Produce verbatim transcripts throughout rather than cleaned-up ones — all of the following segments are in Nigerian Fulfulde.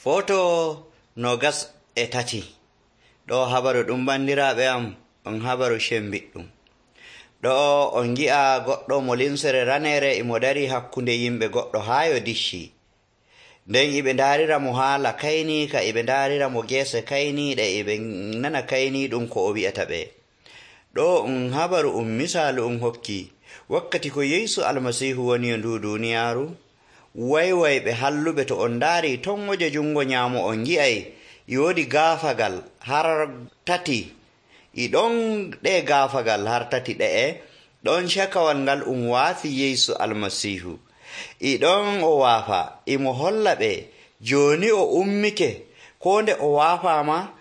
Foto nogas e tati. Ɗo habaru ɗum bandiraɓe am on habaru shembiɗɗum. Ɗo on gi'a goɗɗo mo limsere ranere imo dari hakkunde yimɓe goɗɗo haa yo dicci. Nden iɓe ndarira mo haala kayni ka iɓe ndarira mo gese kayniɗe iɓe nana kayni ɗum ko o wi'ata ɓe. Ɗo um habaru um misalu um hokki wakkati ko Yeesu Almasihu woni yo ndu duniyaaru. Waywayɓe halluɓe to on ndaari ton waje jungo nyaamo on gi'ay e woodi gaafagal har tati. I ɗon ɗe gaafagal har tati ɗe'e ɗon cakawal ngal um waafi Yeesu Almasihu. I ɗon o waafa imo holla ɓe jooni o ummike ko nde o waafama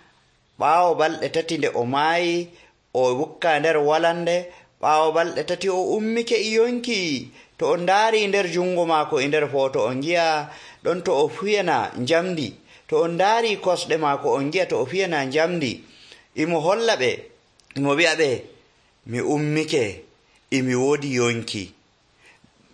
ɓaawo balɗe tati nde o maayi o wukka nder walande. Ɓaawo balɗe tati o ummike e yonki. To on ndaari nder jungo maako e nder foto on gi'a ɗon to o fiyana njamdi. To on ndaari kosɗe maako on gi'a to o fiyana njamdi. Imo holla ɓe imo wi'a ɓe mi ummike imi woodi yonki.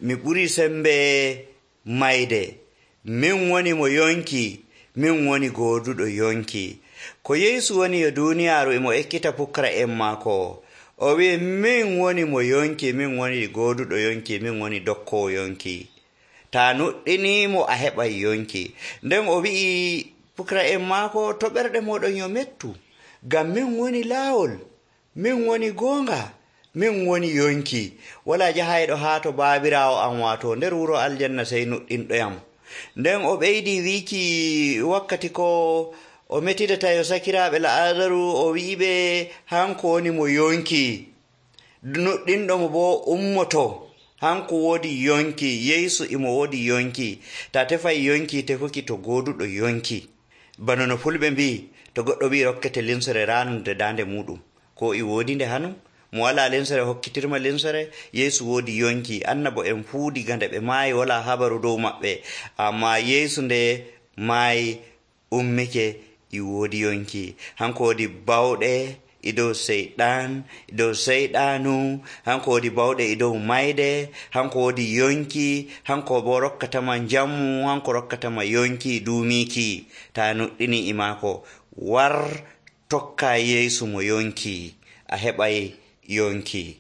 Mi ɓuri sembe mayde. Min woni mo yonki. Min woni gooduɗo yonki. Ko Yeesu woni yo duniyaaru imo ekkita pukara'en maako. O wi'i min woni mo yonki, min woni gooduɗo yonki, min woni dokkowo yonki. Ta nuɗɗinimo a heɓay yonki. Nden o wi'i pukara'en maako to ɓerɗe moɗon yo mettu. Ngam min woni laawol, min woni goonga, min woni yonki. Wala jahayɗo haa to baabiraawo am waato nder wuro aljanna sey nuɗɗinɗoyam. Nden o ɓeydi wiki wakkati ko o metidata yo sakiraaɓe La'azaru o wi'iɓe hanko woni mo yonki. Nuɗɗinɗo mo bo ummoto. Hanko woodi yonki. Yeesu imo woodi yonki. Ta tefay yonki tefuki to gooduɗo yonki. Bano no fulɓe mbi to goɗɗo wi rokkete limsere ranude dande muɗum ko i woodi nde hanu mo wala limsere hokkitirma limsere. Yeesu woodi yonki. Annabo en fuu diga nde ɓe maayi wala habaru dow maɓɓe, amma Yeesu nde maayi ummike i woodi yonki. Hanko woodi bawɗe e dow seyɗan e dow seyɗanu. Hanko woodi bawɗe e dow mayde. Hanko woodi yonki. Hanko bo rokkatama jammu. Hanko rokkatama yonki duumiki. Ta nuɗɗini e maako war tokka Yeesu mo yonki a heɓay yonki.